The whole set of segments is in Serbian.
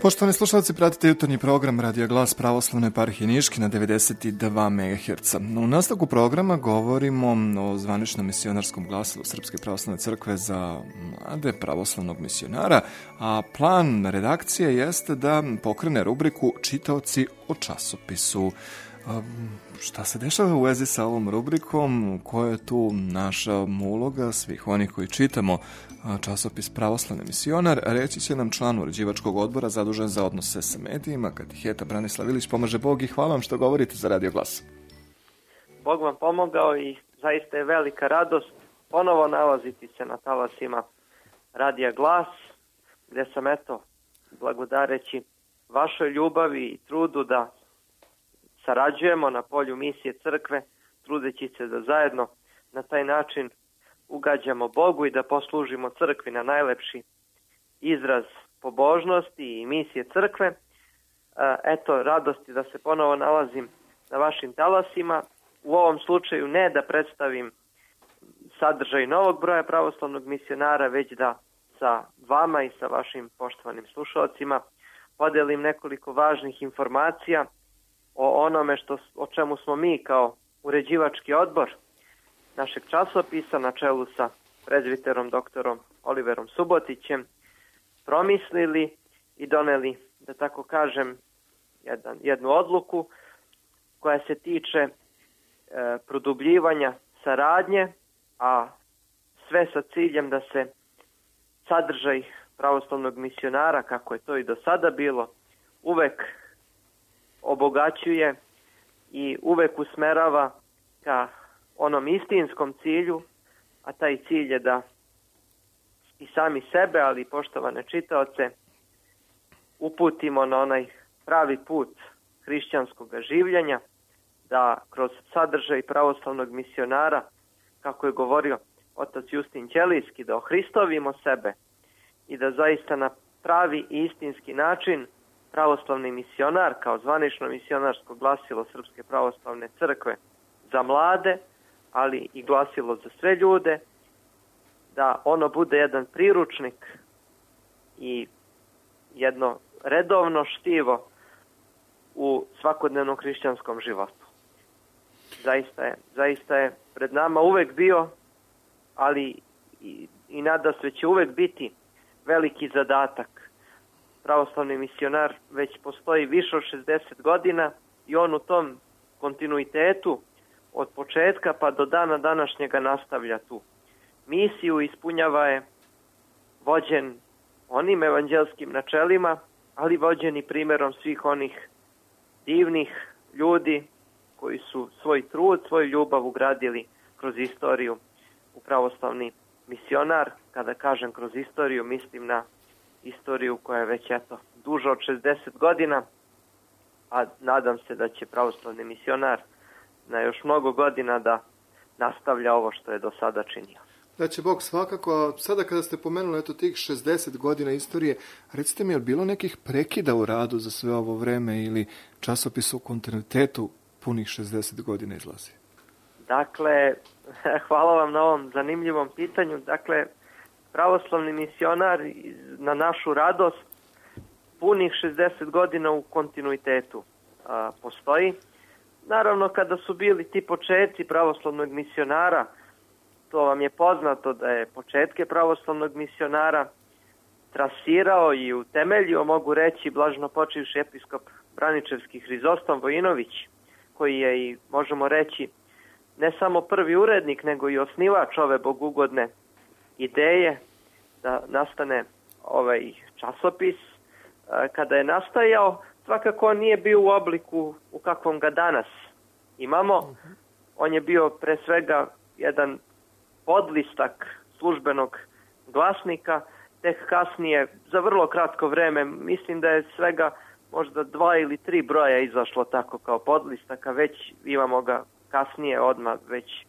Poštovani slušalci, pratite jutarnji program Radija Glas Pravoslavne eparhije Niški na 92 MHz. U nastavku programa govorimo o zvaničnom misionarskom glasilu Srpske pravoslavne crkve za mlade pravoslavnog misionara, a plan redakcije jeste da pokrene rubriku Čitaoci o časopisu. Šta se dešava u vezi sa ovom rubrikom, koja je tu naša uloga svih onih koji čitamo časopis Pravoslavni misionar, reći će nam član uređivačkog odbora zadužen za odnose sa medijima, katiheta Branislav Ilić. Pomaže Bog i hvala vam što govorite za Radio Glas. Bog vam pomogao i zaista je velika radost ponovo nalaziti se na talasima Radija Glas, gde sam blagodareći vašoj ljubavi i trudu da sarađujemo na polju misije crkve, trudeći se da zajedno na taj način ugađamo Bogu i da poslužimo crkvi na najlepši izraz pobožnosti i misije crkve. Radosti da se ponovo nalazim na vašim talasima. U ovom slučaju ne da predstavim sadržaj novog broja pravoslavnog misionara, već da sa vama i sa vašim poštovanim slušalcima podelim nekoliko važnih informacija o onome o čemu smo mi kao uređivački odbor našeg časopisa na čelu sa prezbiterom doktorom Oliverom Subotićem promislili i doneli, da tako kažem, jednu odluku koja se tiče produbljivanja saradnje, a sve sa ciljem da se sadržaj pravoslavnog misionara, kako je to i do sada bilo, uvek obogaćuje i uvek usmerava ka onom istinskom cilju, a taj cilj je da i sami sebe, ali i poštovane čitaoce, uputimo na onaj pravi put hrišćanskog življenja, da kroz sadržaj pravoslavnog misionara, kako je govorio otac Justin Ćelijski, da ohristovimo sebe i da zaista na pravi i istinski način pravoslavni misionar kao zvanično misionarsko glasilo Srpske pravoslavne crkve za mlade, ali i glasilo za sve ljude, da ono bude jedan priručnik i jedno redovno štivo u svakodnevnom hrišćanskom životu. Zaista je pred nama uvek bio, ali i nadasve će uvek biti veliki zadatak. Pravoslavni misionar već postoji više od 60 godina i on u tom kontinuitetu od početka pa do dana današnjega nastavlja tu misiju, ispunjava je vođen onim evanđelskim načelima, ali vođen i primjerom svih onih divnih ljudi koji su svoj trud, svoju ljubav ugradili kroz istoriju u pravoslavni misionar. Kada kažem kroz istoriju, mislim na istoriju koja je već duža od 60 godina, a nadam se da će pravoslavni misionar na još mnogo godina da nastavlja ovo što je do sada činio. Da će Bog svakako. Sada kada ste pomenuli tih 60 godina istorije, recite mi, je li bilo nekih prekida u radu za sve ovo vreme ili časopis u kontinuitetu punih 60 godina izlazi? Dakle, hvala vam na ovom zanimljivom pitanju. Dakle, pravoslavni misionar na našu radost punih 60 godina u kontinuitetu postoji. Naravno, kada su bili ti početci pravoslavnog misionara, to vam je poznato da je početke pravoslavnog misionara trasirao i utemeljio, mogu reći, blaženopočivši episkop Braničevski Hrizostom Vojinović, koji je i, možemo reći, ne samo prvi urednik, nego i osnivač ove bogugodne ideje da nastane ovaj časopis. Kada je nastajao, svakako on nije bio u obliku u kakvom ga danas imamo. On je bio pre svega jedan podlistak službenog glasnika, tek kasnije, za vrlo kratko vreme, mislim da je svega možda 2 ili 3 broja izašlo tako kao podlistaka, već imamo ga kasnije odmah, već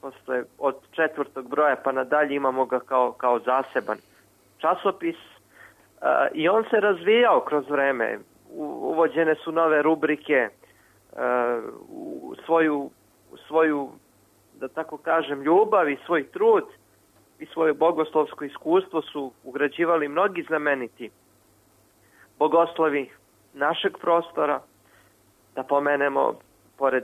posle od 4. broja pa nadalje imamo ga kao zaseban časopis i on se razvijao kroz vreme. Uvođene su nove rubrike, u svoju, da tako kažem, ljubav i svoj trud i svoje bogoslovsko iskustvo su ugrađivali mnogi znameniti bogoslovi našeg prostora, da pomenemo, pored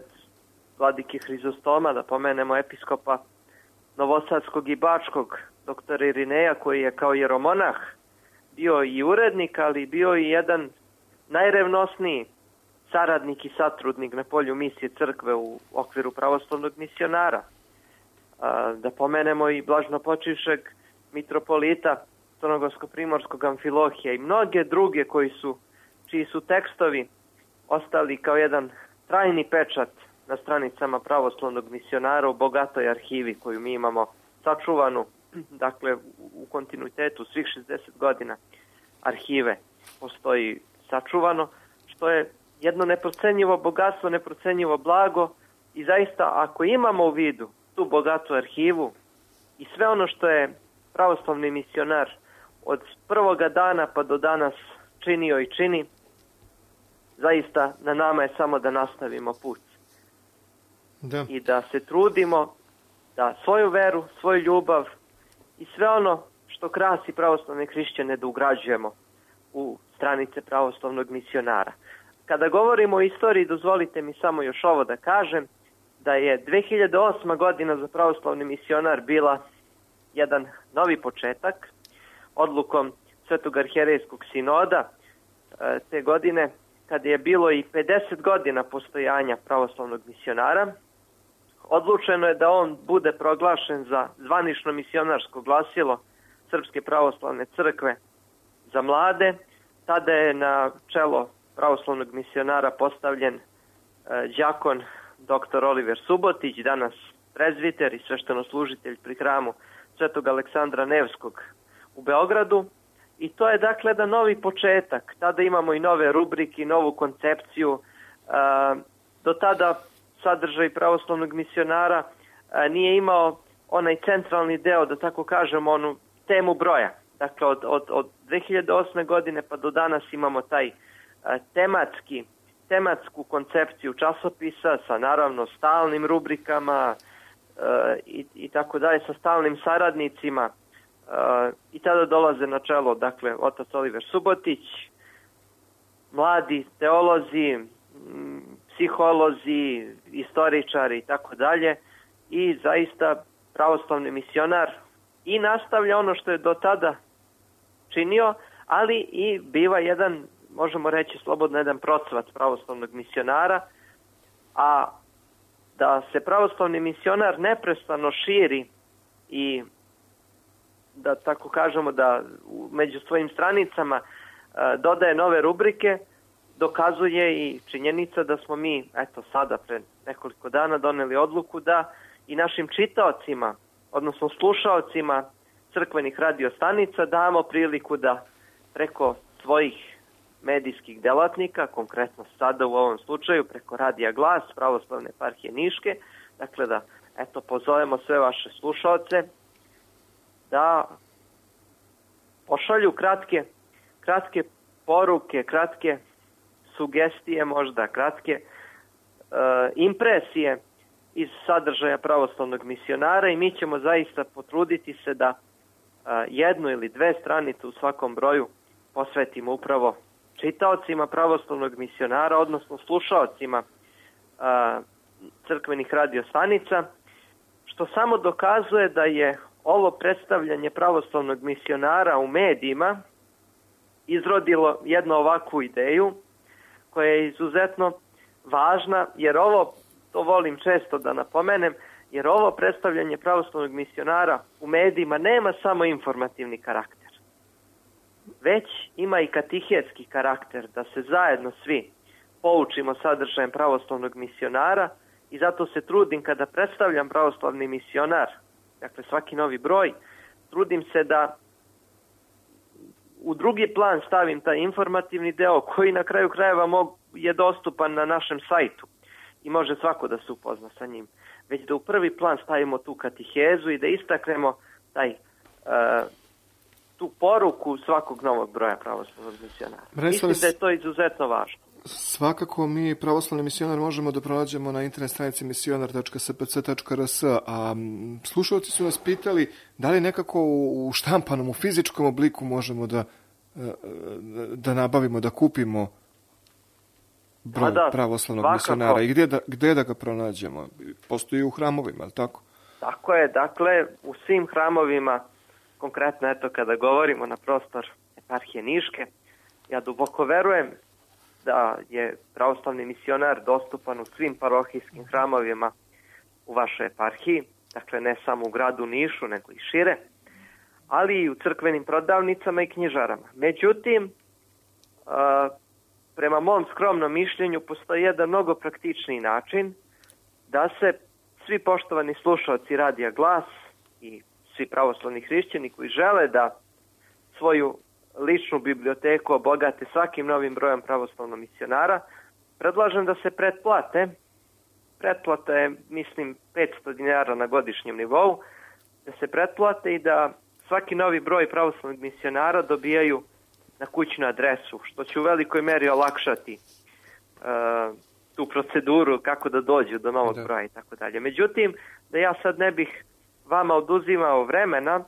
vladike Hrizostoma, da pomenemo episkopa Novosadskog i Bačkog, doktora Irineja, koji je kao jeromonah bio i urednik, ali bio i jedan najrevnosniji saradnik i satrudnik na polju misije crkve u okviru pravoslavnog misionara. Da pomenemo i blažnopočivšeg mitropolita Crnogorsko-primorskog Amfilohija i mnoge druge čiji su tekstovi ostali kao jedan trajni pečat na stranicama pravoslavnog misionara u bogatoj arhivi koju mi imamo sačuvanu, dakle u kontinuitetu svih 60 godina arhive postoji sačuvano, što je jedno neprocenjivo bogatstvo, neprocenjivo blago i zaista ako imamo u vidu tu bogatu arhivu i sve ono što je pravoslavni misionar od prvoga dana pa do danas činio i čini, zaista na nama je samo da nastavimo put. Da. I da se trudimo da svoju veru, svoju ljubav i sve ono što krasi pravoslavne hrišćane da ugrađujemo u stranice pravoslavnog misionara. Kada govorimo o istoriji, dozvolite mi samo još ovo da kažem, da je 2008. godina za pravoslavni misionar bila jedan novi početak, odlukom Svetog arhijerejskog sinoda te godine, kada je bilo i 50 godina postojanja pravoslavnog misionara, odlučeno je da on bude proglašen za zvanično misionarsko glasilo Srpske pravoslavne crkve za mlade. Tada je na čelo pravoslavnog misionara postavljen đakon dr. Oliver Subotić, danas prezviter i sveštenoslužitelj pri hramu Svetog Aleksandra Nevskog u Beogradu. I to je dakle jedan novi početak. Tada imamo i nove rubrike, novu koncepciju. Do tada sadržaj pravoslavnog misionara nije imao onaj centralni deo, da tako kažemo, onu temu broja. Dakle, od 2008. godine pa do danas imamo taj tematsku koncepciju časopisa sa naravno stalnim rubrikama i tako dalje, sa stalnim saradnicima. I tada dolaze na čelo, dakle, otac Oliver Subotić, mladi teolozi, psiholozi, istoričari i tako dalje. I zaista pravoslavni misionar i nastavlja ono što je do tada činio, ali i biva jedan, možemo reći slobodno, jedan procvat pravoslavnog misionara, a da se pravoslavni misionar neprestano širi i da tako kažemo da među svojim stranicama dodaje nove rubrike, dokazuje i činjenica da smo mi, eto sada pre nekoliko dana doneli odluku da i našim čitaocima, odnosno slušaocima crkvenih radiostanica damo priliku da preko svojih medijskih delatnika, konkretno sada u ovom slučaju preko Radija Glas, Pravoslavne eparhije Niške, dakle da eto pozovemo sve vaše slušaoce da pošalju kratke poruke, kratke sugestije možda, kratke impresije iz sadržaja pravoslavnog misionara i mi ćemo zaista potruditi se da jednu ili dve stranice u svakom broju posvetimo upravo čitaocima pravoslavnog misionara, odnosno slušaocima crkvenih radiostanica, što samo dokazuje da je ovo predstavljanje pravoslavnog misionara u medijima izrodilo jednu ovakvu ideju koja je izuzetno važna, jer ovo, to volim često da napomenem, jer ovo predstavljanje pravoslavnog misionara u medijima nema samo informativni karakter, već ima i katehetski karakter, da se zajedno svi poučimo sadržajem pravoslavnog misionara i zato se trudim kada predstavljam pravoslavni misionar, dakle svaki novi broj, trudim se da u drugi plan stavim taj informativni deo koji na kraju krajeva je dostupan na našem sajtu i može svako da se upozna sa njim. Već da u prvi plan stavimo tu katehezu i da istaknemo tu poruku svakog novog broja pravoslavnog misionara. Mislim da je to izuzetno važno. Svakako mi pravoslavni misionar možemo da pronađemo na internet stranici misionar.spc.rs, a slušalci su nas pitali da li nekako u štampanom, u fizičkom obliku možemo da da nabavimo, da kupimo broj pravoslavnog misionara i gdje da ga pronađemo? Postoji u hramovima, ali tako? Tako je, dakle, u svim hramovima, konkretno eto kada govorimo na prostor eparhije Niške, ja duboko verujem da je pravoslavni misionar dostupan u svim parohijskim hramovima u vašoj eparhiji, dakle ne samo u gradu Nišu, nego i šire, ali i u crkvenim prodavnicama i knjižarama. Međutim, prema mom skromnom mišljenju postoji jedan mnogo praktičniji način da se svi poštovani slušalci Radija Glas i svi pravoslavni hrišćani koji žele da svoju ličnu biblioteku obogate svakim novim brojem pravoslavnog misionara, predlažem da se pretplate. Pretplata je, mislim, 500 dinara na godišnjem nivou, da se pretplate i da svaki novi broj pravoslavnog misionara dobijaju na kućnu adresu, što će u velikoj meri olakšati tu proceduru kako da dođu do novog broja i tako dalje. Međutim, da ja sad ne bih vama oduzimao vremena,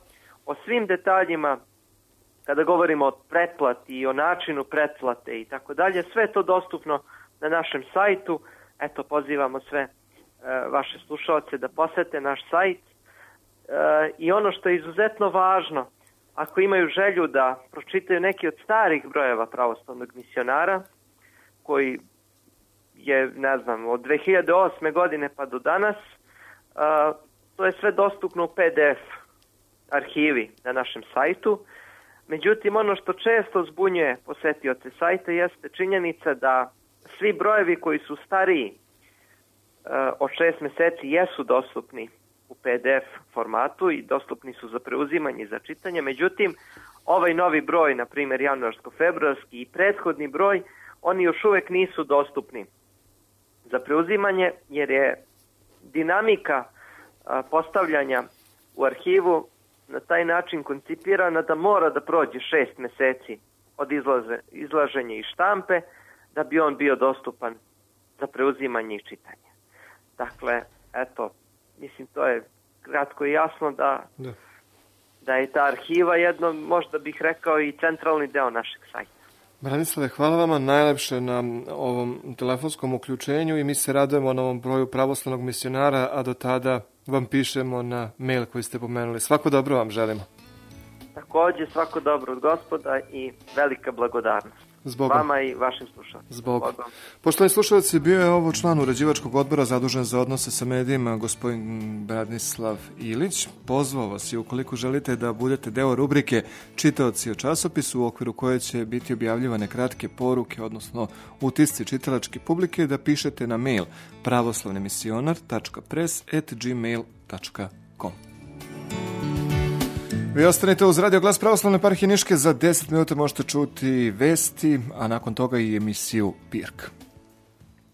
o svim detaljima kada govorimo o pretplati i o načinu pretplate i tako dalje, sve je to dostupno na našem sajtu. Eto, pozivamo sve vaše slušalce da posete naš sajt. I ono što je izuzetno važno, ako imaju želju da pročitaju neki od starih brojeva pravoslavnog misionara, koji je, ne znam, od 2008. godine pa do danas, to je sve dostupno u PDF arhivi na našem sajtu. Međutim, ono što često zbunjuje posetioce sajta jeste činjenica da svi brojevi koji su stariji od 6 meseci jesu dostupni u PDF formatu i dostupni su za preuzimanje i za čitanje. Međutim, ovaj novi broj, na primjer januarsko-februarski i prethodni broj, oni još uvijek nisu dostupni za preuzimanje jer je dinamika postavljanja u arhivu na taj način koncipirana da mora da prođe 6 meseci od izlaženja i štampe da bi on bio dostupan za preuzimanje i čitanje. Dakle, eto, mislim to je kratko i jasno da je ta arhiva jedno, možda bih rekao, i centralni deo našeg sajta. Branislave, hvala vama najlepše na ovom telefonskom uključenju i mi se radujemo na ovom broju pravoslavnog misionara, a do tada vam pišemo na mail koji ste pomenuli. Svako dobro vam želimo. Također svako dobro od Gospoda i velika blagodarnost. Zbogom. Vama i vašim slušalcima. Zbogom. Poštovani slušalci, bio je ovo član uređivačkog odbora zadužen za odnose sa medijima, gospodin Branislav Ilić. Pozvao vas i ukoliko želite da budete deo rubrike Čitaoci o časopisu, u okviru koje će biti objavljivane kratke poruke, odnosno utisci čitalačke publike, da pišete na mail pravoslavnemisionar.press@gmail.com. Vi ostanite uz Radio Glas Pravoslavne eparhije Niške. Za 10 minuta možete čuti vesti, a nakon toga i emisiju Pirk.